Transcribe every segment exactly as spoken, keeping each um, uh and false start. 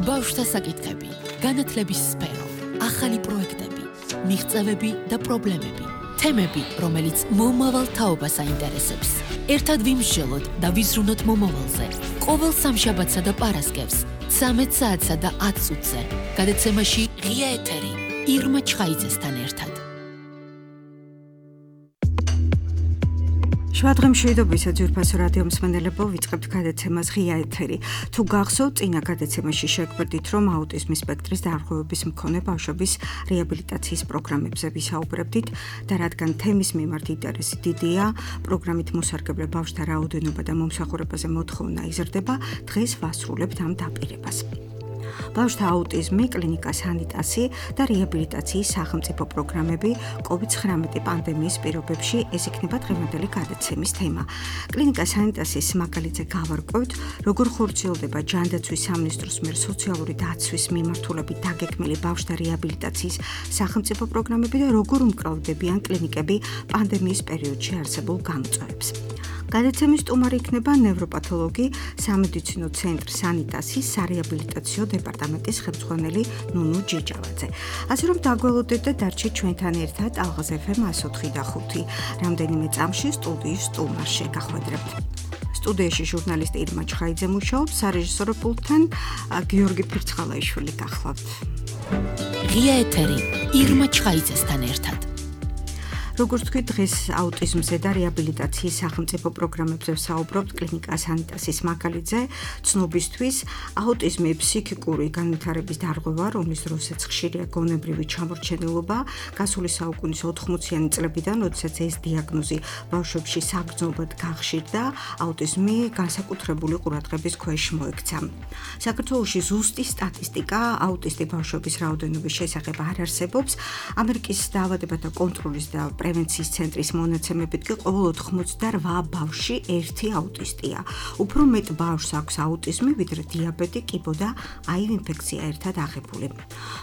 ბავშვთა საკითხები, განათლების სფერო, ახალი პროექტები, მიღწევები და პრობლემები, თემები, რომელიც მომავალ თაობას აინტერესებს. ერთად ვიმსჯელოთ და ვიზრუნოთ მომავალზე. ყოველ სამშაბათსა და პარასკევს, ცამეტ საათსა და ათ წუთზე, გადაცემაში ღია ეთერი, ირმა ჩხაიძესთან ერთად. შვადღე მშვიდობისა ძვირფასო რადიო მსმენელებო, ვიწყებთ გადაცემას ღია ეთერი. თუ გახსოვთ, წინა გადაცემაში შეგვერდით, რომ აუტიზმის სპექტრის დარღვევების მქონე ბავშვების რეაბილიტაციის პროგრამებზე ვისაუბრებდით და რადგან თემის მიმართ ინტერესი დიდია, პროგრამით მოსარგებლე ბავშვთა რაოდენობა და მომსახურებაზე მოთხოვნა იზრდება, დღეს ვასრულებთ ამ დაპირებას. ბავშვთა აუტიზმი, კლინიკა სანიტასი და რეაბილიტაციის სახელმწიფო პროგრამები კოვიდ ცხრამეტი პანდემიის პირობებში ეს იქნება დღევანდელი გადაცემის თემა. კლინიკა სანიტასის მაგალითზე გავარკვევთ, როგორ ხორციელდება ჯანდაცვის სამინისტროს მიერ სოციალური დაცვის მიმართულებით დაგეგმილი ბავშვთა რეაბილიტაციის სახელმწიფო პროგრამები და როგორ უმკრავდებიან კლინიკები პანდემიის პერიოდში არსებულ გამოწვევებს. გადაცემის სტუმარი იქნება ნევროპათოლოგი სამედიცინო ცენტრ სანიტასის სარეაბილიტაციო დეპარტამენტის ხელმძღვანელი ნუნუ ჯიჯავაძე. ასე რომ დაგველოდეთ და დარჩეთ ჩვენთან ერთად ალღაზ ეფ ემ εκατო ოთხი და ხუთი. რამდენიმე წამში სტუდიის სტუმარს შეგახვედრებთ. სტუდიაში ჟურნალისტი ირმა ჩხაიძე მუშაობს, სარეჟისორო პულტთან გიორგი ფირცხალაიშვილი გახლავთ. ღია ეთერი, ირმა ჩხაიძესთან ერთად. როგორც თქვით, დღეს აუტიზმზე და რეაბილიტაციის სახელმწიფო პროგრამებზე ვსაუბრობთ კლინიკა სანიტასის მაგალითზე. ცნობისთვის, აუტიზმი ფსიქიკური განვითარების დარღვევა, რომლის დროსაც ხშირია გონებრივი ჩამორჩენილობა, გასული საუკუნის ოთხმოციანი წლებიდან, როდესაც ეს დიაგნოზი ბავშვებში საგრძნობად გახშირდა, აუტიზმი განსაკუთრებული ყურადღების ქვეშ მოექცა. საქართველოში ზუსტი სტატისტიკა აუტისტი ბავშვების რაოდენობის შესახებ არ არსებობს. ამერიკის დაავადებათა კონტროლის და პრევენციის ცენტრის მონაცემებით კი ყოველ ოთხმოცდარვა ბავშვში ერთი აუტისტია. უფრო მეტ ბავშვს აქვს აუტიზმი, ვიდრე დიაბეტი, კიბო და აივ ინფექცია ერთად აღებული.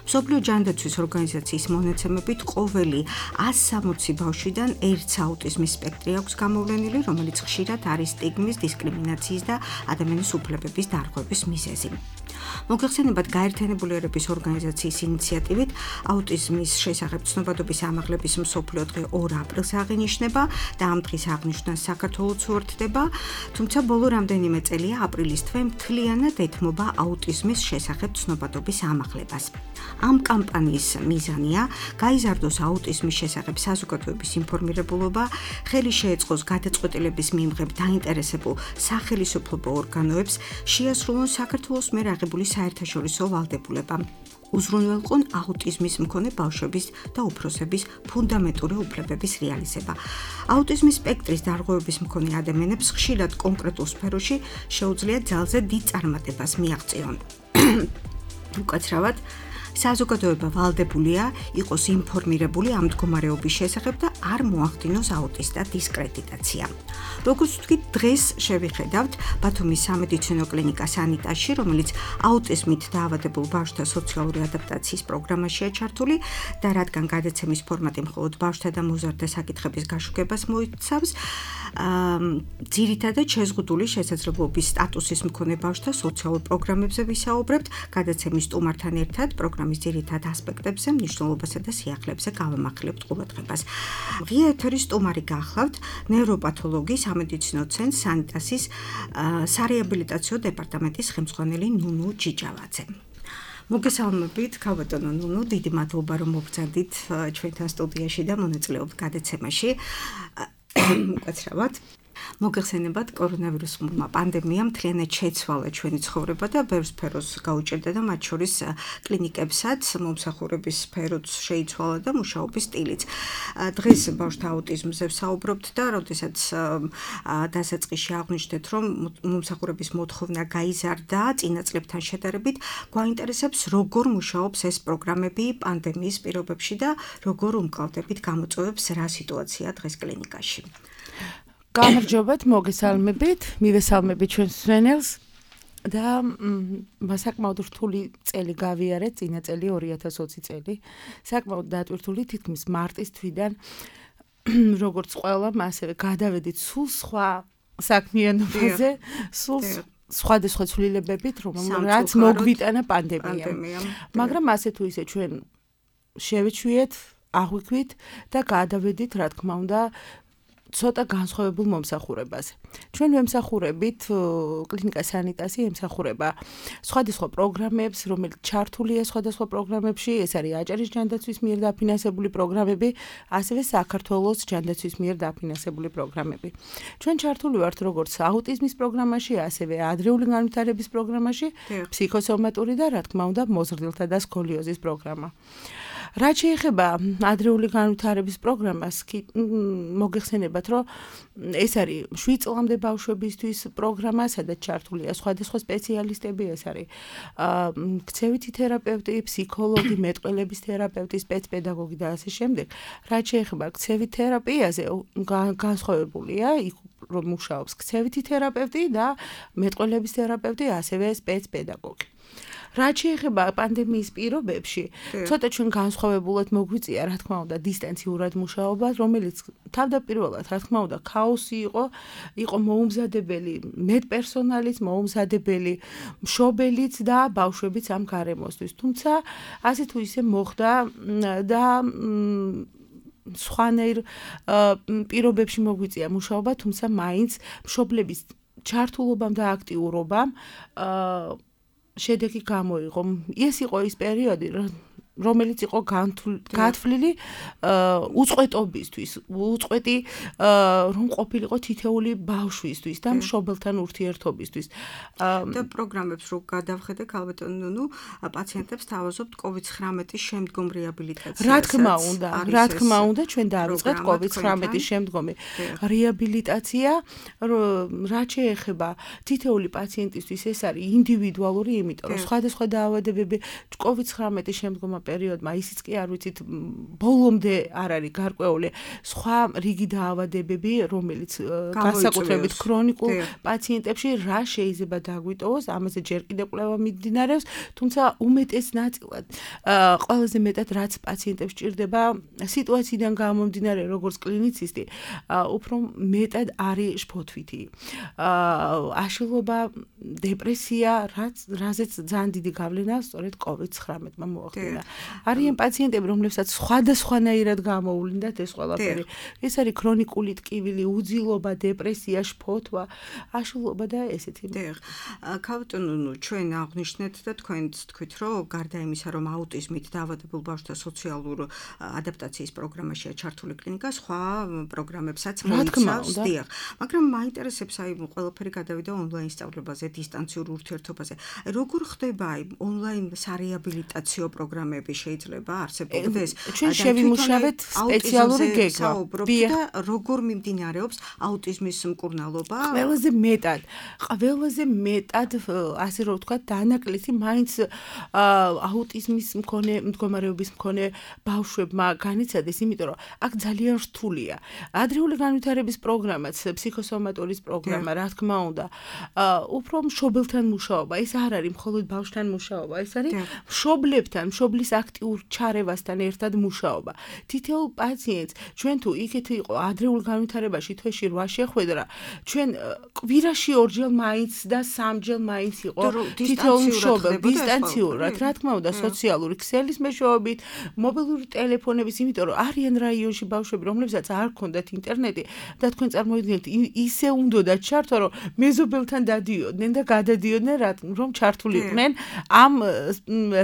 მსოფლიო ჯანდაცვის ორგანიზაციის მონაცემებით ყოველი ას სამოცი ბავშვიდან ერთს აუტიზმის სპექტრი აქვს გამოვლენილი, რომელიც ხშირად არის სტიგმის, დისკრიმინაციის და ადამიანის უფლებების დარღვევის მიზეზი. მოგეხსენებათ, გაერთიანებული ერების ორგანიზაციის ინიციატივით აუტიზმის შესახებ ცნობადობის ამაღლების მსოფლიო დღე ორ აპრილს აღინიშნება და ამ დღის აღნიშვნას საქართველოც უერთდება, თუმცა ბოლო რამდენიმე წელია აპრილის თვე მთლიანად ეთმობა აუტიზმის შესახებ ცნობადობის ამაღლებას. ამ კამპანიის მიზანია გაიზარდოს აუტიზმის შესახებ საზოგადოების ინფორმირებულობა, ხელი შეეწყოს გადაწყვეტილების მიმღებ დაინტერესებულ სახელმწიფო ორგანოებს, შეასრულონ საქართველოს მიერ აღებული საერთაშორისო ვალდებულება. უზრუნველყონ აუტიზმის მქონე ბავშვების და უფროსების ფუნდამენტური უფლებების რეალიზება. აუტიზმის სპექტრის დარღვევების მქონე ადამიანებს ხშირად კონკრეტულ სფეროში შეუძლიათ ძალზე დიდ წარმატებას მიაღწიონ. უკაცრავად, საზოგადოება ვალდებულია იყოს ინფორმირებული ამ მდგომარეობის შესახებ და არ მოახდინოს აუტისტთა დისკრედიტაცია. როგორც ვთქვით, დღეს შევიხედავთ ბათუმის სამედიცინო კლინიკა სანიტასში, რომელიც აუტიზმით დაავადებულ ბავშვთა სოციალური ადაპტაციის პროგრამაშია ჩართული და რადგან გადაცემის ფორმატი მხოლოდ ბავშვთა და მოზარდთა საკითხების გაშუქებას მოიცავს, ძირითადად შეზღუდული შესაძლებლობის სტატუსის მქონე ბავშვთა სოციალურ პროგრამებზე ვისაუბრებთ. გადაცემის სტუმართან ერთად პროგრამის ძირითად ასპექტებზე, მნიშვნელობასა და სიახლეებზე გავამახვილებთ ყურადღებას. ღია ეთერის სტუმარი გახლავთ ნევროპათოლოგი სამედიცინო ცენტრ სანიტასის სარეაბილიტაციო დეპარტამენტის ხელმძღვანელი ნუნუ ჯიჯავაძე. მოგესალმებით, ქალბატონო ნუნუ, დიდი მადლობა რომ მოგწადით ჩვენთან სტუდიაში და მონაწილეობთ გადაცემაში. უკაცრავად. მოგეხსენებათ, კორონავირუსმა პანდემიამ მთლიანად შეცვალა ჩვენი ცხოვრება და ბევრ სფეროს გაუჭირდა და მათ შორის კლინიკებსაც, მომსახურების სფეროც შეიცვალა და მუშაობის სტილიც. დღეს ბავშვთა აუტიზმზე ვსაუბრობთ და როდესაც დასაწყისში აღვნიშნეთ, რომ მომსახურების მოთხოვნა გაიზარდა წინა წლებთან შედარებით, გვაინტერესებს, როგორ მუშაობს ეს პროგრამები პანდემიის პირობებში და როგორ უმკლავდებით გამოწვევებს, რა სიტუაცია დღეს კლინიკაში. გამარჯობათ, მოგესალმებით, მივესალმებით ჩვენს მსმენელს და საკმაოდ რთული წელი გავიარეთ, წინა წელი ორი ათას ოცი წელი. საკმაოდ დატვირთული, თითქმის მარტის თვიდან როგორც ყველამ, ასევე გადავედით სულ სხვა საქმიანობაზე, სულ სხვადასხვა ცვლილებებით, რომელიც მოგვიტანა პანდემიამ. მაგრამ ასე თუ ისე ჩვენ შევეჩვიეთ, აღვიქვით და გადავედით, რა თქმა უნდა, ცოტა განსხვავებულ მომსახურებაზე. ჩვენ ვემსახურებით კლინიკა სანიტასი ემსახურება სხვადასხვა პროგრამებს, რომელიც ჩართულია სხვადასხვა პროგრამებში, ეს არის აჭარის ჯანდაცვის მიერ დაფინანსებული პროგრამები, ასევე საქართველოს ჯანდაცვის მიერ დაფინანსებული პროგრამები. ჩვენ ჩართული ვართ როგორც აუტიზმის პროგრამაში, ასევე ადრეული განვითარების პროგრამაში, ფსიქოსომატური და რა თქმა უნდა, მოზრდილთა და სკოლიოზის პროგრამა. რაც შეეხება ადრეული განვითარების პროგრამას, მოგეხსენებათ, რომ ეს არის შვიდ წლამდე ბავშვებისთვის პროგრამა, სადაც ჩართულია სხვადასხვა სპეციალისტები, ეს არის ქცევითი თერაპევტი, ფსიქოლოგი, მეტყველების თერაპევტი, სპეცპედაგოგი და ასე შემდეგ. რაც შეეხება ქცევით თერაპიაზე, განსხვავებულია იქ რომ მუშაობს ქცევითი თერაპევტი და მეტყველების თერაპევტი, ასევე სპეცპედაგოგი. რაც შეეხება პანდემიის პირობებში, ცოტა ჩვენ განსხვავებულად მოგვიწია, რა თქმა უნდა, დისტანციურად მუშაობა, რომელიც თავდაპირველად, რა თქმა უნდა, ქაოსი იყო, იყო მოუმზადებელი მეტპერსონალიც, მოუმზადებელი მშობელიც და ბავშვებიც ამ გარემოსთვის. თუმცა, ასე თუ ისე მოხდა და სხვანაირ პირობებში მოგვიწია მუშაობა, თუმცა მაინც მშობლების ჩართულობამ და აქტიურობამ შედეგი გამოიღო. ეს იყო ის პერიოდი, რომელიც იყო გათვლილი უწყვეტობისთვის, უწყვეტი რომ ყოფილიყო თითეული ბავშვისთვის და მშობელთან ურთიერთობისთვის. და პროგრამებს რო გადავხედე, ქალბატონო, ნუ პაციენტებს თავაზობთ კოვიდ ცხრამეტის შემდგომ რეაბილიტაციას. რა თქმა უნდა, რა თქმა უნდა, ჩვენ დავიწყეთ კოვიდ ცხრამეტის შემდგომი რეაბილიტაცია, რაც შეეხება თითეული პაციენტისთვის, ეს არის ინდივიდუალური, იმიტომ რომ სხვადასხვა დაავადებები კოვიდ ცხრამეტის შემდგომ პერიოდმა ისიც კი არ ვიცით ბოლომდე არ არის გარკვეული სხვა რიგი დაავადებები, რომელიც განსაკუთრებით ქრონიკულ პაციენტებში რა შეიძლება დაგვიტოვოს, ამაზე ჯერ კიდევ კვლევა მიმდინარეობს, თუმცა უმეტეს ნაწილად ყველაზე მეტად რაც პაციენტებს ჭირდება სიტუაციიდან გამომდინარე, როგორც კლინიცისტი, უფრო მეტად არის შფოთვითი. აშლილობა, დეპრესია, რაც რაზეც ძალიან დიდი გავლენა სწორედ კოვიდ ცხრამეტმა მოახდინა. არიან პაციენტები, რომლებსაც სხვადასხვანაირად გამოუვლინდათ ეს ყველაფერი. ეს არის ქრონიკული ტკივილი, უძილობა, დეპრესია, შფოთვა, აშლილობა და ესეთი. დიახ. ქალბატონო, ჩვენ აღნიშნეთ და თქვენც თქვით, რომ გარდა იმისა, რომ აუტიზმით დაავადებულ ბავშვთა სოციალურ ადაპტაციის პროგრამაშია ჩართული კლინიკა, სხვა პროგრამებსაც მოიცავს. დიახ. მაგრამ მაინტერესებს აი ყველაფერი გადავიდა ონლაინ სწავლებაზე, დისტანციურ ურთიერთობაზე. როგორ ხდება აი ონლაინ სარეაბილიტაციო პროგრამები შეიძლება არსებობდეს? ჩვენ შევიმუშავეთ სპეციალური გეგმა. და როგორ მიმდინარეობს აუტიზმის მკურნალობა? ყველაზე მეტად, ყველაზე მეტად, ასე რომ ვთქვათ, დანაკლისი მაინც აუტიზმის მქონე მდგომარეობის მქონე ბავშვებმა განიცადეს, იმიტომ რომ აქ ძალიან რთულია. ადრეული განვითარების პროგრამაც, ფსიქოსომატურის პროგრამა, რა თქმა უნდა, უფრო მშობელთან მუშაობა, ეს არ არის მხოლოდ ბავშვთან მუშაობა, ეს არის მშობლებთან, მშობლის აქტიურ ჩარევასთან ერთად მუშაობა. თითოეულ პაციენტს ჩვენ თუ იქეთ იყო ადრეულ განვითარებაში თვეში რვა შეხვედრა, ჩვენ კვირაში ორჯერ მაინც და სამჯერ მაინც იყო თითოეულ მშობელ დისტანციურად, რა თქმა უნდა, სოციალური ქსელის მეშვეობით, მობილური ტელეფონების, იმიტომ რომ არიან რაიონში ბავშვები, რომლებსაც არ ჰქონდათ ინტერნეტი და თქვენ წარმოიდგინეთ, ისე უნდათ ჩართვა, რომ მეზობელთან დადიოდნენ და გადადიოდნენ, რომ ჩართულიყვნენ ამ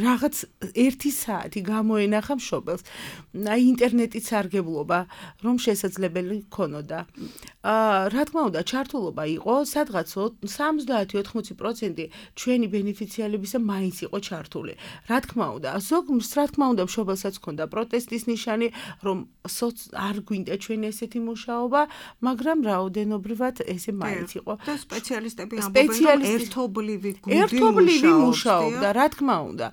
რაღაც ერთი საათი გამოენახა მშობელს. აი ინტერნეტის სარგებლობა, რომ შესაძლებელი ქონოდა. რა თქმა უნდა, ჩართულობა იყო სადღაც სამოცდაათი ოთხმოცი პროცენტი ჩვენი ბენეფიციარებისა მაინც იყო ჩართული. რა თქმა უნდა, ზოგს რა თქმა უნდა მშობელსაც ჰქონდა პროტესტის ნიშანი, რომ არ გვინდა ჩვენ ესეთი მუშაობა, მაგრამ რაოდენობრივად ესე მაინც იყო. და სპეციალისტები ამბობენ, რომ ერთობლივი გუნდი მუშაობდა, რა თქმა უნდა.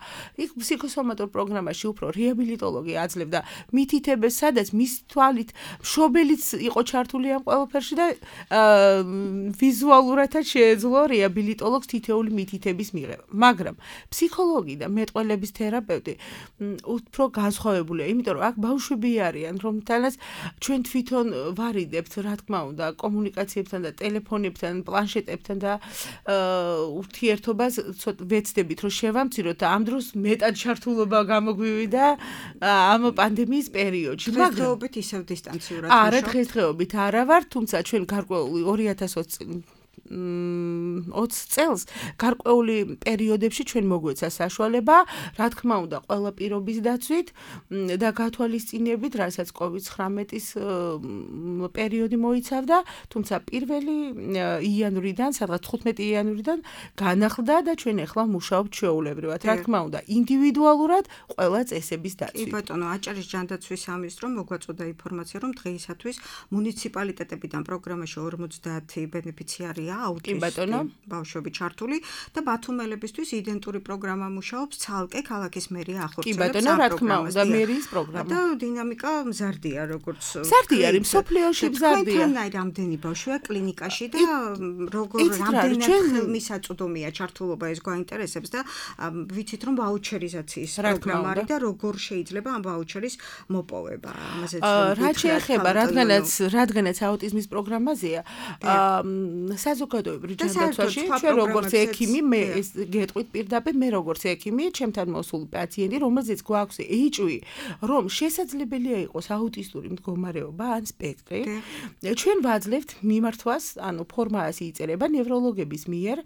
იქ ფსიქოსომატურ პროგრამაში უფრო რეაბილიტოლოგი აძლევდა მითითებას, სადაც მის თვალით მშობელიც იყო ჩართული ამ ყველაფერში ყველაფერში და ვიზუალურადაც შეეძლო რეაბილიტოლოგს თითეული მითითების მიღება. მაგრამ ფსიქოლოგი და მეტყველების თერაპევტი უფრო განსხვავებულია, იმიტომ რომ აქ ბავშვები არიან, რომთანაც ჩვენ თვითონ ვარიდებთ, რა თქმა უნდა, კომუნიკაციებთან და ტელეფონებთან, პლანშეტებთან და ურთიერთობას ვეცდებით, რომ შევამციროთ და ამ დროს მეტად ჩართულობა გამოგვივიდა ამ პანდემიის პერიოდში. დღესდღეობით ისევ დისტანციურად ვუშაობთ. არა, დღესდღეობით არა ვარ, თუმცა ჩვენ გარკვეული ორი ათას ოცი წელს გარკვეული პერიოდებში ჩვენ მოგვეცა საშუალება, რა თქმა უნდა, ყველა პირობის დაცვით და გათვალისწინებით, რასაც კოვიდ ცხრამეტის პერიოდი მოიცავდა, თუმცა პირველი იანვრიდან, სადღაც თხუთმეტი იანვრიდან განახლდა და ჩვენ ახლა მუშაობთ ჩვეულებრივად. რა თქმა უნდა, ინდივიდუალურად ყველა წესების დაცვით. კი ბატონო, აჭარის ჯანდაცვის სამინისტრო მოგვაწოდა ინფორმაცია, რომ დღეისათვის მუნიციპალიტეტებიდან პროგრამაში ორმოცდაათი ბენეფიციარია აუტიზმი ბავშვები ჩართული და ბათუმელებისთვის იდენტური პროგრამა მუშაობს ცალკე ქალაქის მერია ახორციელებს. კი ბატონო, რა თქმა უნდა, მერიის პროგრამა. და დინამიკა მზარდია, როგორც მზარდია, არის მსოფლიოში მზარდია. თქვენთან რამდენი ბავშვია კლინიკაში და როგორ რამდენად მისაწვდომია ჩართულობა ეს გვაინტერესებს და ვიცით რომ ვაუჩერიზაციის პროგრამა არის და როგორ შეიძლება ამ ვაუჩერის მოპოვება. ამაზე რა შეეხება, რადგანაც რადგანაც აუტიზმის პროგრამაზეა, საზოგადოებრივ ჯანდაცვაში ჩვენ როგორც ექიმი მე ეს გეტყვით პირდაპირ მე როგორც ექიმი ჩემთან მოსულ პაციენტი რომელზეც გვაქვს ეიჩ-ი რომ შესაძლებელია იყოს აუტისტური მდგომარეობა ან სპექტრი ჩვენ ვაძლევთ მიმართვას ანუ ფორმას იწერება ნევროლოგების მიერ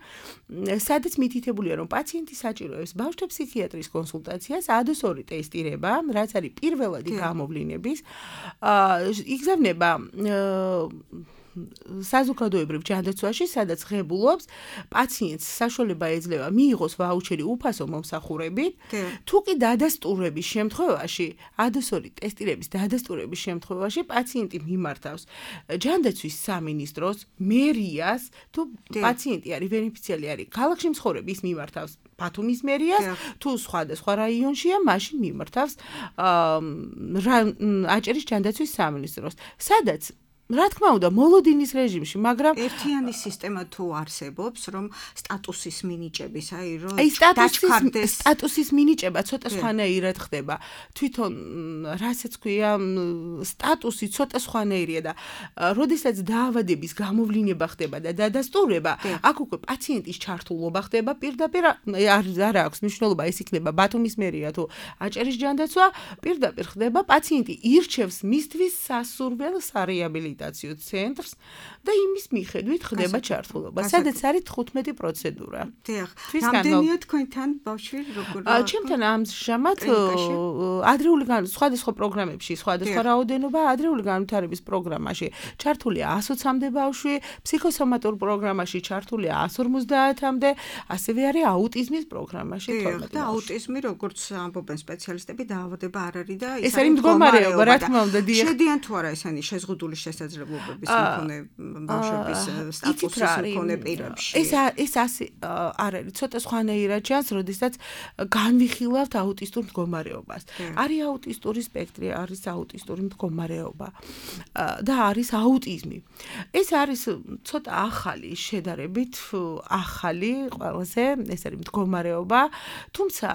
სადაც მითითებულია რომ პაციენტი საჭიროებს ბავშვთა ფსიქიატრის კონსულტაციას ა დ ორი ტესტირება რაც არის პირველადი გამოვლინების იგზავნება საზოგადოებრივ ჯანდაცვაში, სადაც ღებულობს პაციენტს საშუალება ეძლევა მიიღოს ვაუჩერი უფასო მომსახურებით, თუ კი დადასტურების შემთხვევაში, ა დ ორი ტესტირების დადასტურების შემთხვევაში პაციენტი მიმართავს ჯანდაცვის სამინისტროს, მერიას, თუ პაციენტი არის ბენეფიციარი არის ქალაქში მცხოვრები, ის მიმართავს ბათუმის მერიას, თუ სხვადასხვა რაიონშია, მაშინ მიმართავს აჭარის ჯანდაცვის სამინისტროს, სადაც რა თქმა უნდა, მოლოდინის რეჟიმში, მაგრამ ერთიანი სისტემა თუ არსებობს, რომ სტატუსის მინიჭების, აი რომ დაჩქარდეს სტატუსის მინიჭება ცოტა სხვანაირად ხდება. თვითონ რასაც ქვია, სტატუსი ცოტა სხვანაირია და როდესაც დაავადების გამოვლინება ხდება და დადასტურება, აქ უკვე პაციენტის ჩართულობა ხდება პირდაპირ არ აქვს მნიშვნელობა, ეს იქნება ბათუმის მერია თუ აჭარის ჯანდაცვა, პირდაპირ ხდება პაციენტი ირჩევს მისთვის სასურველ სარეაბილიტაციო ცენტრს და იმის მიხედვით ხდება ჩართულობა. სადაც არის თხუთმეტი პროცედურა. დიახ. რამდენია თქვენთან ბავშვი როგორ? ჩემთან ამჟამად ადრეული სხვადასხვა პროგრამებში, სხვადასხვა რაოდენობა ადრეული განვითარების პროგრამაში ჩართულია ასოცამდე ბავშვი, ფსიქოსომატურ პროგრამაში ჩართულია ას ორმოცდაათამდე, ასევე არის აუტიზმის პროგრამაში თორმეტი. და აუტიზმი როგორც ამბობენ სპეციალისტები დაავადება არ არის და ეს არის მდგომარეობა, რა თქმა უნდა, დიახ. შედიან თუ არა ესენი შეზღუდული შესაძლებლობების მქონე ბავშვების სტატუსის მქონე პირებში. ეს ეს ასე არ არის, ცოტა სხვანაირად ჩანს, როდესაც განვიხილავთ აუტისტურ მდგომარეობას. არის აუტისტური სპექტრი, არის აუტისტური მდგომარეობა და არის აუტიზმი. ეს არის ცოტა ახალი შედარებით, ახალი ყველაზე, ეს არის მდგომარეობა, თუმცა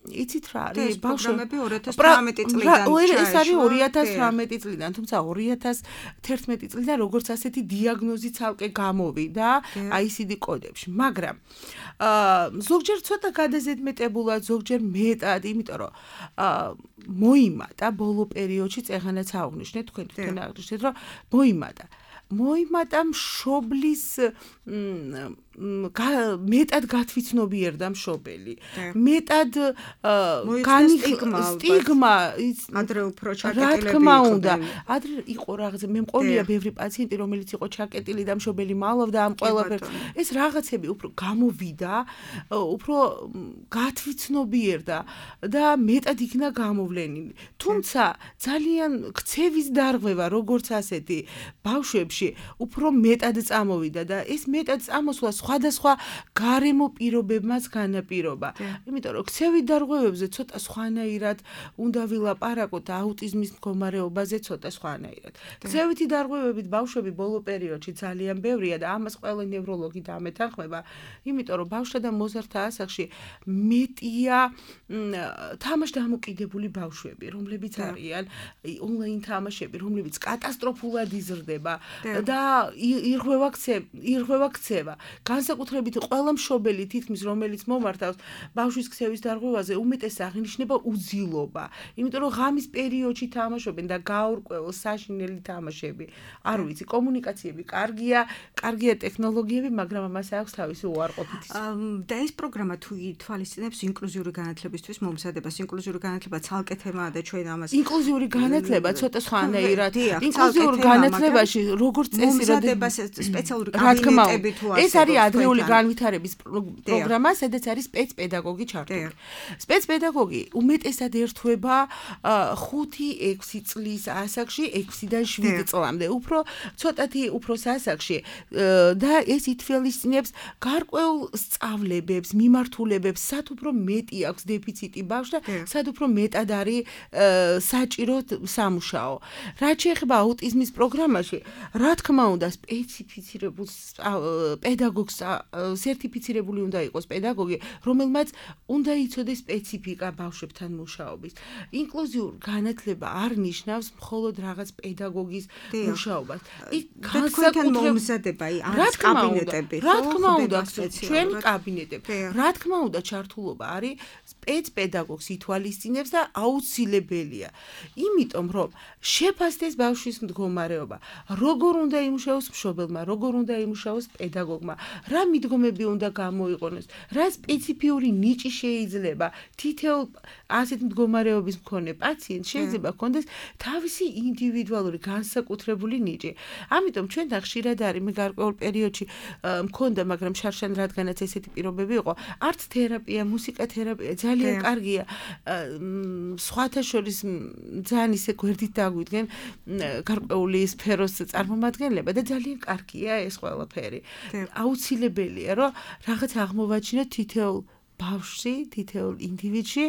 იცით რა არის ბავშვები ორი ათას თვრამეტი წლიდან ეს არის ორი ათას თვრამეტი წლიდან თუმცა ორი ათას თერთმეტი წლიდან როგორც ასეთი დიაგნოზი ცალკე გამოვიდა აი ს ი დი კოდებში მაგრამ ზოგჯერ ცოტა გადაზედმეტებულად ზოგჯერ მეტად იმიტომ რომ მოიმატა ბოლო პერიოდში წეღანაც აღვნიშნეთ თქვენ თვითონ აღნიშნეთ რომ მოიმატა მოიმატა მშობლის მეტად გათვითნობიერდა მშობელი. მეტად სტიგმა ადრე უფრო ჩაკეტილები იყო. რა თქმა უნდა, ადრე იყო რაღაცა მე მყოლია ბევრი პაციენტი, რომელიც იყო ჩაკეტილი და მშობელი მალავდა ამ ყველაფერს. ეს რაღაცები უფრო გამოვიდა, უფრო გათვითნობიერდა და მეტად იქნა გამოვლენილი. თუმცა ძალიან ქცევის დარღვევა როგორც ასეთი ბავშვებში უფრო მეტად წამოვიდა და ეს მეტად წამოსვლა სხვადასხვა გარემო პირობებმაც განაპირობა. იმიტომ რომ ქცევით დარღვევებზე ცოტა სხვანაირად უნდა ვილაპარაკოთ და აუტიზმის მდგომარეობაზე ცოტა სხვანაირად. ქცევითი დარღვევებით ბავშვები ბოლო პერიოდში ძალიან ბევრია და ამას ყველა ნევროლოგი დამეთანხმება, იმიტომ რომ ბავშვთა და მოზარდთა ასაკში მეტია თამაშდამოკიდებული ბავშვები, რომლებიც არიან ონლაინ თამაშები, რომლებიც კატასტროფულად იზრდება და ირღვევა ირღვევა ქცევა. განსაკუთრებით ყველა მშობელი თითქმის რომელიც მომართავს ბავშვის ქცევის დარღვევაზე უმეტეს აღინიშნება უძილობა. იმიტომ რომ ღამის პერიოდში თამაშობენ და გაურკვეველ საშინელი თამაშები. არ ვიცი, კომუნიკაციები კარგია, კარგია ტექნოლოგიები, მაგრამ ამას აქვს თავისი უარყოფითი. და ეს პროგრამა თუ ითვალისწინებს ინკლუზიური განათლებისთვის მომზადებას, ინკლუზიური განათლება ცალკე თემაა და ჩვენ ამას ინკლუზიური განათლება ცოტა სხვანაირად. ინკლუზიურ განათლებაში როგორც წესი მომზადებას სპეციალური კაბინეტები თუ ეს არის ადრეული განვითარების პროგრამა, სადაც არის სპეცპედაგოგი ჩართული. სპეცპედაგოგი უმეტესად ერთვება ხუთი ექვსი წლის ასაკში, ექვსიდან შვიდ წლამდე, უფრო ცოტათი უფროს ასაკში და ეს ითვალისწინებს გარკვეულ სწავლებებს, მიმართულებებს, სად უფრო მეტი აქვს დეფიციტი ბავშვს და სად უფრო მეტად არის საჭირო სამუშაო. რაც შეეხება აუტიზმის პროგრამაში, რა თქმა უნდა, სპეციფიცირებულ პედაგოგს სერტიფიცირებული უნდა იყოს პედაგოგი, რომელმაც უნდა იცოდეს სპეციფიკა ბავშვებთან მუშაობის. ინკლუზიურ განათლება არ ნიშნავს მხოლოდ რაღაც პედაგოგის მუშაობას. იქ განსაკუთრებულად მომზადება არის კაბინეტები, რა თქმა უნდა, ჩვენი კაბინეტები. რა თქმა უნდა, ჩართულობა არის სპეცპედაგოგს ითვალისწინებს და აუცილებელია. იმიტომ რომ შეფასდეს ბავშვის მდგომარეობა, როგორ უნდა იმუშაოს მშობელმა, როგორ უნდა იმუშაოს პედაგოგმა, რა მიდგომები უნდა გამოიყენოს, რა სპეციფიური ნიჭი შეიძლება თითოეულ ასეთ მდგომარეობის მქონე პაციენტს შეიძლება ჰქონდეს თავისი ინდივიდუალური განსაკუთრებული ნიჭი. ამიტომ ჩვენთან ხშირად არის მე გარკვეულ პერიოდში მქონდა, მაგრამ შარშან რადგანაც ესეთი პირობები იყო, არტ თერაპია, მუსიკა თერაპია ძალიან კარგია. სხვათა შორის ძალიან ისე გვერდით დაგვიდგენ გარკვეული სფეროს წარმომადგენლება და ძალიან კარგია ეს ყველაფერი. აუცილებელია, რომ რაღაც აღმოვაჩინოთ თითოეულ ბავშვში, თითოეულ ინდივიდში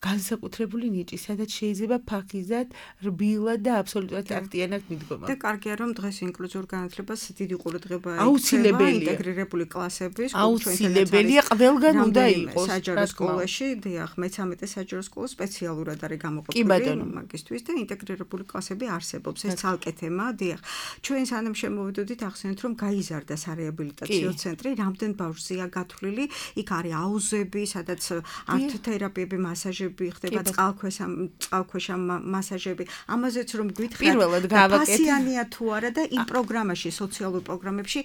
განსაკუთრებული ნიჭი, სადაც შეიძლება ფაქიზად, რბილად და აბსოლუტურად აქტიანად მიდგომა. და კარგია, რომ დღეს ინკლუზიურ განათლებას დიდი ყურადღება აუცილებელია. ინტეგრირებული კლასების, აუცილებელია, ყველგან უნდა იყოს. საჯარო სკოლაში, დიახ, მეცამეტე საჯარო სკოლა სპეციალურად არის გამოყოფილი მაგისტვის და ინტეგრირებული კლასები არსებობს. ეს ცალკე თემაა, დიახ. ჩვენ სანამ შემოვიდოდით, ახსენეთ, რომ გაიზარდა სარეაბილიტაციო ცენტრი, რამდენ ბავშვზეა გათვლილი, იქ არის აუზები, სადაც არტ თერაპიები, მასაჟები ხდება წყალქვეშა წყალქვეშა მასაჟები. ამაზეც რომ გვითხრათ, პასიანია თუ არა და იმ პროგრამაში, სოციალურ პროგრამებში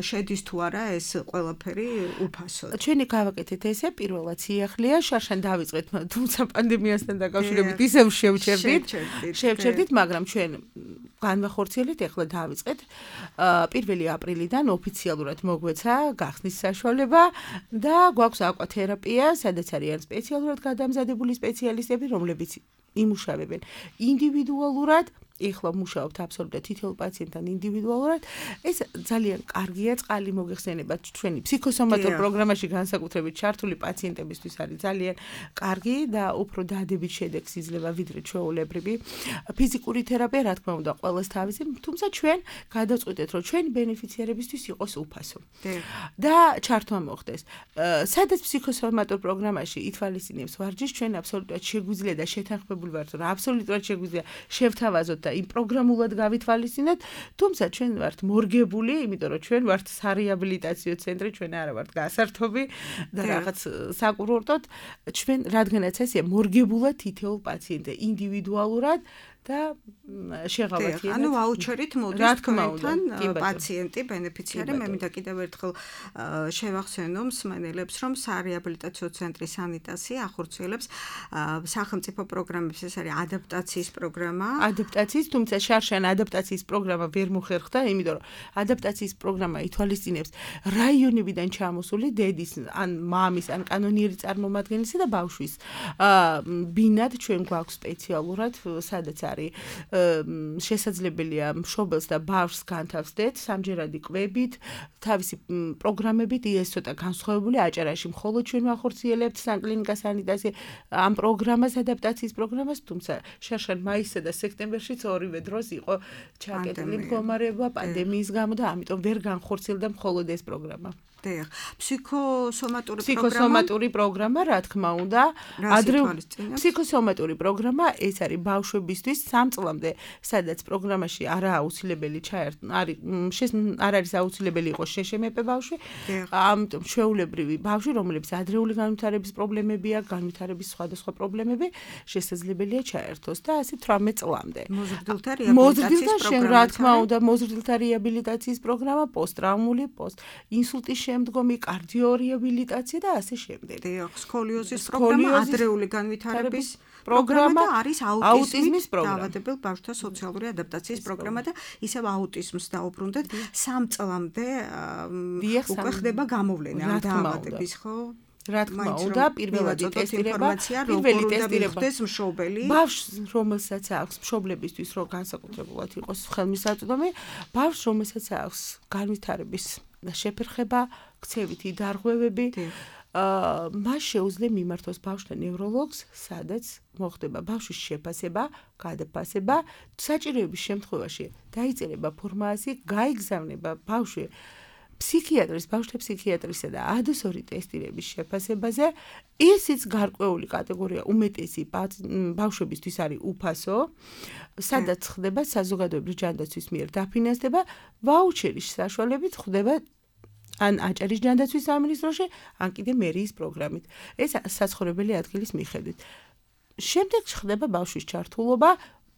შედის თუ არა ეს ყველაფერი უფასოდ. ჩვენი გავაკეთეთ ესე, პირველად სიახლეა, შარშან დავიწყეთ, თუმცა პანდემიასთან დაკავშირებით ისევ შევჩერდით. შევჩერდით, მაგრამ ჩვენ განვახორციელეთ, ეხლა დავიწყეთ. პირველი აპრილიდან ოფიციალურად მოგვეცა გახსნის საშუალება და გვაქვს აკვათერაპია, სადაც არიან სპეციალურად გადამზადებული სპეციალისტები, რომლებიც იმუშავებენ ინდივიდუალურად, ეხლა მუშაობთ აბსოლუტურად თითოეულ პაციენტთან ინდივიდუალურად. ეს ძალიან კარგია, წყალი მოგეხსენება ჩვენი ფსიქოსომატურ პროგრამაში განსაკუთრებით ჩართული პაციენტებისთვის არის ძალიან კარგი და უფრო დადებით შედეგს იძლევა ვიდრე ჩვეულებრივი ფიზიკური თერაპია, რა თქმა უნდა, ყველას თავისი, თუმცა ჩვენ გადავწყვიტეთ, რომ ჩვენი ბენეფიციარებისთვის იყოს უფასო. და ჩართვა მოხდეს. სადაც ფსიქოსომატურ პროგრამაში ითვალისწინებს ვარჯიშს, ჩვენ აბსოლუტურად შეგვიძლია და შეთანხმებული ვართ, რომ აბსოლუტურად შეგვიძლია შევთავაზოთ და იმ პროგრამულად გავითვალისწინოთ, თუმცა ჩვენ ვართ მორგებული, იმიტომ რომ ჩვენ ვართ სარეაბილიტაციო ცენტრი, ჩვენ არა ვართ გასართობი და რაღაც საკურორტოდ, ჩვენ რადგანაც ესეა მორგებულად თითოეულ პაციენტზე ინდივიდუალურად და შეღავათია. ანუ ვაუჩერით მოდის თქვენთან პაციენტი, ბენეფიციარი. მე მინდა კიდევ ერთხელ შევახსენო მსმენელებს, რომ სარეაბილიტაციო ცენტრი სანიტასი ახორციელებს სახელმწიფო პროგრამებს, ეს არის ადაპტაციის პროგრამა. ადაპტაციის, თუმცა შარშან ადაპტაციის პროგრამა ვერ მოხერხდა, იმიტომ რომ ადაპტაციის პროგრამა ითვალისწინებს რაიონებიდან ჩამოსული დედის, ან მამის, ან კანონიერი წარმომადგენლისა და ბავშვის ბინად ჩვენ გვაქვს სპეციალურად, სადაც არის შესაძლებელია მშობელს და ბავშვს განთავსდეთ სამჯერადი კვებით, თავისი პროგრამებით, ეს ცოტა განსხვავებული აჭარაში მხოლოდ ჩვენ ვახორციელებთ სანკლინიკა სანიტაცია ამ პროგრამას, ადაპტაციის პროგრამას, თუმცა შარშან მაისსა და სექტემბერშიც ორივე დროს იყო ჩაკეტილი მდგომარეობა პანდემიის გამო და ამიტომ ვერ განხორციელდა მხოლოდ ეს პროგრამა. დიახ, ფსიქოსომატური პროგრამა. ფსიქოსომატური პროგრამა, რა თქმა უნდა, ადრეული ფსიქოსომატური პროგრამა ეს არის ბავშვებისთვის სამ წლამდე, სადაც პროგრამაში არაა აუცილებელი ჩაერთო, არის არ არის აუცილებელი იყოს შეშემეპე ბავშვი, ამიტომ ჩვეულებრივი ბავშვი, რომლებიც ადრეული განვითარების პრობლემები აქვს, განვითარების სხვადასხვა პრობლემები, შესაძლებელია ჩაერთოს და ასე თვრამეტ წლამდე. მოზრდილთა რეაბილიტაციის პროგრამა. რა თქმა უნდა, მოზრდილთა რეაბილიტაციის პროგრამა, პოსტტრაუმული, პოსტ-ინსულტის შემდგომი კარდიორეაბილიტაცია და ასე შემდეგ. დიახ, სკოლიოზის პროგრამა, ადრეული განვითარების პროგრამა და არის აუტიზმის დაავადებელ ბავშვთა სოციალური ადაპტაციის პროგრამა და ისევ აუტიზმს დაუბრუნდეთ სამ წლამდე უკვე ხდება გამოვლენა ამ დაავადების, ხო? რა თქმა უნდა, პირველადი ტესტირება, პირველი ტესტირება მშობელი. ბავშვს, რომელსაც აქვს მშობლებისთვის, რომ განსაკუთრებულად იყოს ხელმისაწვდომი, ბავშვს, რომელსაც აქვს განვითარების და შეფერხება, ქცევითი დარღვევები, აა მას შეუძლია მიმართოს ბავშვთა ნევროლოგს, სადაც მოხდება ბავშვის შეფასება, გადაფასება, საჭიროების შემთხვევაში დაიწერება ფორმაცია, გაიგზავნება ბავშვი ფსიქიატრის, ბავშვთა ფსიქიატრისა და ადოსორი ტესტირების შეფასებაზე. ისიც გარკვეული კატეგორია უმეტესი ბავშვებისთვის არის უფასო, სადაც ხდება საზოგადოებრივი ჯანდაცვის მიერ დაფინანსდება, ვაუჩერის საშუალებით ხდება ან აჭარის ჯანდაცვის სამინისტროში, ან კიდე მერიის პროგრამით. ეს საცხოვრებელი ადგილის მიხედვით. შემდეგ ხდება ბავშვის ჩართულობა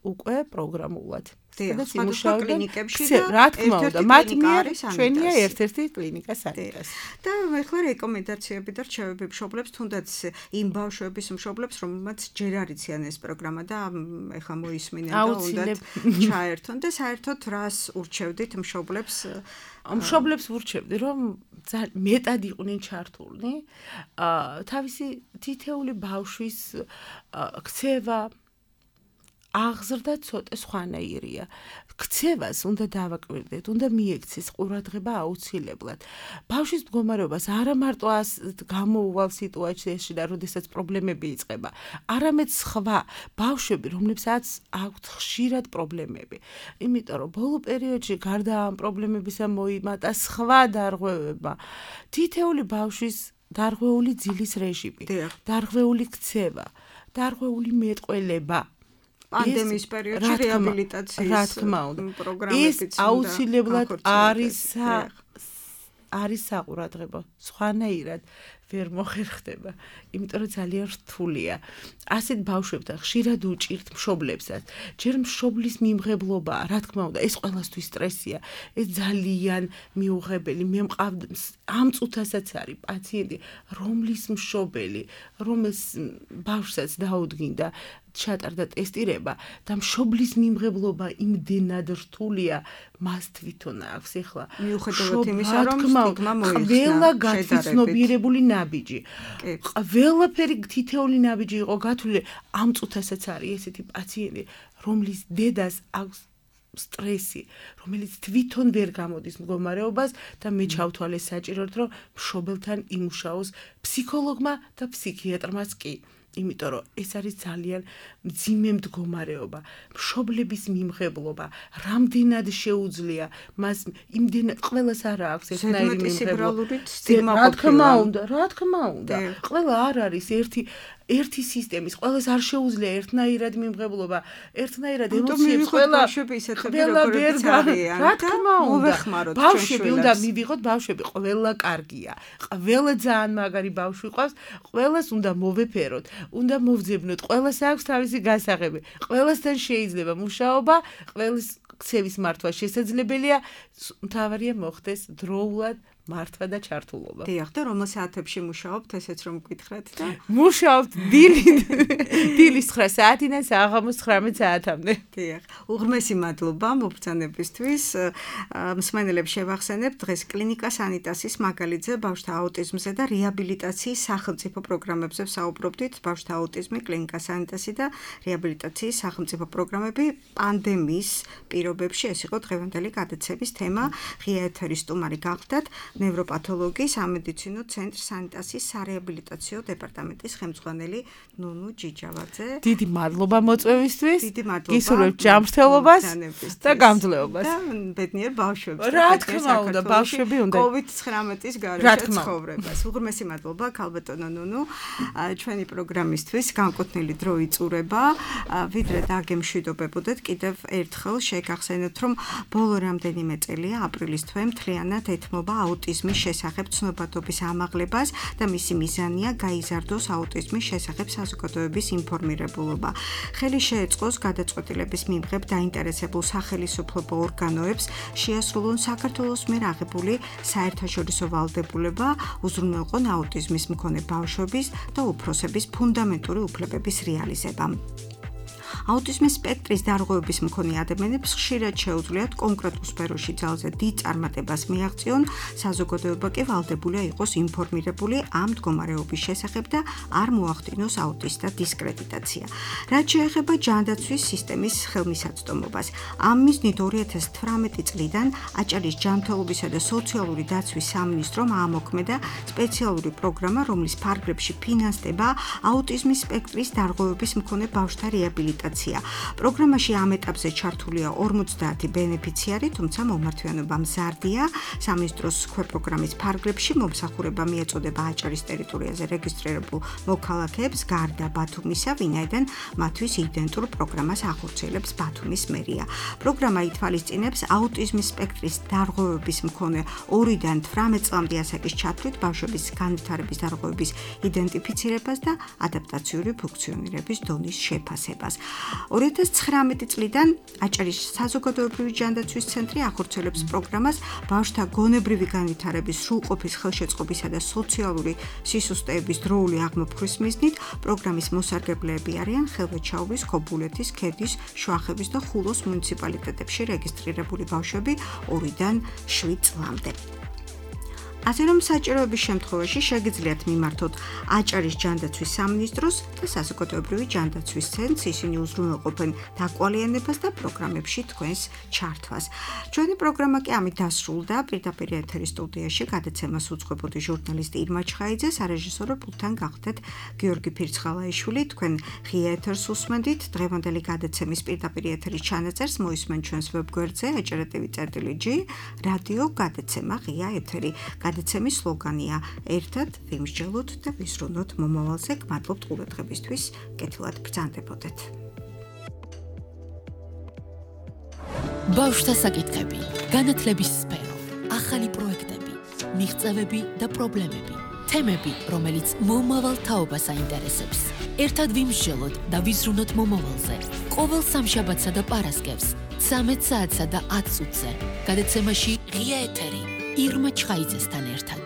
უკვე პროგრამულად. სადაც იმუშავებენ კლინიკებში და რა თქმა უნდა, მათ მიერ ჩვენია ერთ-ერთი კლინიკა სანიტას. და ეხლა რეკომენდაციები და რჩევები მშობლებს, თუნდაც იმ ბავშვების მშობლებს, რომელმაც ჯერ არ იციან ეს პროგრამა და ეხლა მოისმინენ და უნდათ ჩაერთონ და საერთოდ რას ურჩევდით მშობლებს? მშობლებს ვურჩევდი, რომ მეტად იყვნენ ჩართულნი, თავისი თითეული ბავშვის ქცევა აღზრდა ცოტა სხვანაირია. ქცევას უნდა დავაკვირდეთ, უნდა მიექცეს ყურადღება აუცილებლად. ბავშვის მდგომარეობას არა მარტო გამოუვალ სიტუაციაში და როდესაც პრობლემები იწყება, არამედ სხვა ბავშვები, რომლებსაც აქვთ ხშირად პრობლემები. იმიტომ რომ ბოლო პერიოდში გარდა ამ პრობლემებისა მოიმატა სხვა დარღვევებმა. თითეული ბავშვის დარღვეული ძილის რეჟიმი, დარღვეული ქცევა, დარღვეული მეტყველება. პანდემიის პერიოდში რეაბილიტაციის პროგრამებიც ის აუცილებლად არის არის საყურადღებო. სხვანაირად ვერ მოხერხდება, იმიტომ რომ ძალიან რთულია. ასეთ ბავშვებთან ხშირად უჭირთ მშობლებსაც. ჯერ მშობლის მიმღებლობაა, რა თქმა უნდა, ეს ყველასთვის სტრესია. ეს ძალიან მიუღებელი. მე მყავდა ამ წუთასაც არის პაციენტი, რომლის მშობელი, რომელს ბავშვსაც დაუდგინდა ჩატარდა ტესტირება და მშობლის მიმღებლობა იმდენად რთულია, მას თვითონ აქვს ეხლა. მიუხედავად იმისა, რომ სტიგმა მოიხსნა, ყველა გაცნობიერებული ნაბიჯი. ყველაფერი თითეული ნაბიჯი იყო გათვლილი, ამ წუთასაც არის ესეთი პაციენტი, რომლის დედას აქვს სტრესი, რომელიც თვითონ ვერ გამოდის მდგომარეობას და მე ჩავთვალე საჭიროდ, რომ მშობელთან იმუშაოს ფსიქოლოგმა და ფსიქიატრმაც კი. იმიტომ რომ ეს არის ძალიან მძიმე მდგომარეობა, მშობლების მიმღებლობა, რამდენად შეუძლია მას იმდენად ყველას არ აქვს ერთნაირი მიმღებლობა. რა თქმა უნდა, რა თქმა უნდა, ყველა არ არის ერთი ერთი სისტემის, ყველას არ შეუძლია ერთნაირად მიმღებლობა, ერთნაირად ემოციებს ყველა ყველა ვერ არიან. რა თქმა უნდა, ბავშვები უნდა მივიღოთ, ბავშვები ყველა კარგია. ყველა ძალიან მაგარი ბავშვი ყავს, ყველას უნდა მოვეფეროთ, უნდა მოვძებნოთ, ყველას აქვს თავისი გასაღები. ყველასთან შეიძლება მუშაობა, ყველის ქცევის მართვა შესაძლებელია, მთავარია მოხდეს დროულად მართვა და ჩართულობა. დიახ, და რომელ საათებში მუშაობთ, ესეც რომ გითხრათ და მუშაობთ დილით დილის ცხრა საათიდან საღამოს ცხრამეტ საათამდე. დიახ, უღრმესი მადლობა მობრძანებისთვის. მსმენელებს შევახსენებთ დღეს კლინიკა სანიტასის მაგალითზე ბავშვთა აუტიზმზე და რეაბილიტაციის სახელმწიფო პროგრამებზე ვსაუბრობდით. ბავშვთა აუტიზმი, კლინიკა სანიტასი და რეაბილიტაციის სახელმწიფო პროგრამები პანდემიის პირობებში. ეს იყო დღევანდელი გადაცემის თემა. ღია ეთერის სტუმარი გახლდათ ნევროპათოლოგი სამედიცინო ცენტრ სანიტასის სარეაბილიტაციო დეპარტამენტის ხელმძღვანელი ნუნუ ჯიჯავაძე. დიდი მადლობა მოწვევისთვის. დიდი მადლობა. გისურვებთ ჯანმრთელობას და გამძლეობას. და ბედნიერ ბავშვებს. რა თქმა უნდა, ბავშვები უნდა კოვიდ ცხრამეტის გარეშე ცხოვრებას. უღრმესი მადლობა ქალბატონო ნუნუ. ჩვენი პროგრამისთვის განკუთვნილი დრო იწურება. ვიდრე დაგემშვიდობებოდეთ, კიდევ ერთხელ შეგახსენებთ, რომ ბოლო რამდენიმე წელია აპრილის თვე მთლიანად ეთმობა აუტიზმის შესახებ ცნობადობის ამაღლებას და მისი მიზანია გაიზარდოს აუტიზმის შესახებ საზოგადოების ინფორმირებულობა. ხელი შეეწყოს გადაწყვეტილების მიმღებ დაინტერესებულ სახელმწიფო ორგანოებს შეასრულონ საქართველოს მიერ აღებული საერთაშორისო ვალდებულება, უზრუნველყონ აუტიზმის მქონე ბავშვების და უფროსების ფუნდამენტური უფლებების რეალიზება. აუტიზმის სპექტრის დარღვევების მქონე ადამიანებს ხშირად შეუძლიათ კონკრეტულ სფეროში ძალზე დიდ წარმატებას მიაღწიონ, საზოგადოება კი ვალდებულია იყოს ინფორმირებული ამ მდგომარეობის შესახებ და არ მოახდინოს აუტისტთა დისკრედიტაცია. რაც შეეხება ჯანდაცვის სისტემის ხელმისაწვდომობას, ამ მიზნით ორი ათას თვრამეტი წლიდან აჭარის ჯანმრთელობისა და სოციალური დაცვის სამინისტრომ აამოქმედა სპეციალური პროგრამა, რომლის ფარგლებში ფინანსდება აუტიზმის სპექტრის დარღვევების მქონე ბავშვთა რეაბილიტაცია. პროგრამაში ამ ეტაპზე ჩართულია ორმოცდაათი ბენეფიციარი, თუმცა მომართვიანობა მზარდია. სამინისტროს ქვეპროგრამის ფარგლებში მომსახურება მიეწოდება აჭარის ტერიტორიაზე რეგისტრირებულ მოქალაქეებს გარდა ბათუმისა, ვინაიდან მათთვის იდენტურ პროგრამას ახორციელებს ბათუმის მერია. პროგრამა ითვალისწინებს აუტიზმის სპექტრის დარღვევების მქონე ორიდან თვრამეტ წლამდე ასაკის ჩათვლით ბავშვების განვითარების დარღვევების იდენტიფიცირებას და ადაპტაციური ფუნქციონირების დონის შეფასებას. ორი ათას ცხრამეტი წლიდან აჭარის საზოგადოებრივი ჯანდაცვის ცენტრი ახორციელებს პროგრამას ბავშვთა გონებრივი განვითარების სრულყოფის ხელშეწყობისა და სოციალური სისუსტეების დროული აღმოფხვის მიზნით. პროგრამის მოსარგებლეები არიან ხელვეჩაურის, ქობულეთის, ქედის, შუახევის და ხულოს მუნიციპალიტეტებში რეგისტრირებული ბავშვები ორიდან შვიდ წლამდე. ასე რომ საჭიროების შემთხვევაში შეგიძლიათ მიმართოთ აჭარის ჯანდაცვის სამინისტროს და საზოგადოებრივი ჯანდაცვის ცენტრს, ისინი უზრუნველყოფენ დაკვალიანებას და პროგრამებში თქვენს ჩართვას. ჩვენი პროგრამა კი ამით დასრულდა. პირდაპირ ეთერის სტუდიაში გადაცემას უძღვებოდი ჟურნალისტი ირმა ჩხაიძე, სარეჟისორო პულტთან გახლდათ გიორგი ფირცხალაიშვილი. თქვენ ღია ეთერს უსმენდით. დღევანდელი გადაცემის პირდაპირ ეთერის ჩანაწერს მოისმენ ჩვენს ვებგვერდზე aჭრატv.gr რადიო გადაცემა ღია ეთერი. გადაცემის სლოგანია ერთად ვიმსჯელოთ და ვისრუნოთ მომავალზე. გმადლობთ ყურადღებისთვის. კეთილად ბრძანდებოდეთ. ბავშვთა საკითხები, განათლების სფერო, ახალი პროექტები, მიღწევები და პრობლემები, თემები, რომელიც მომავალ თაობას აინტერესებს. ერთად ვიმსჯელოთ და ვიზრუნოთ მომავალზე. ყოველ სამშაბათსა და პარასკევს, ცამეტ საათსა და ათ წუთზე. გადაცემაში ღია ეთერი ირმა ჩხაიძესთან ერთად.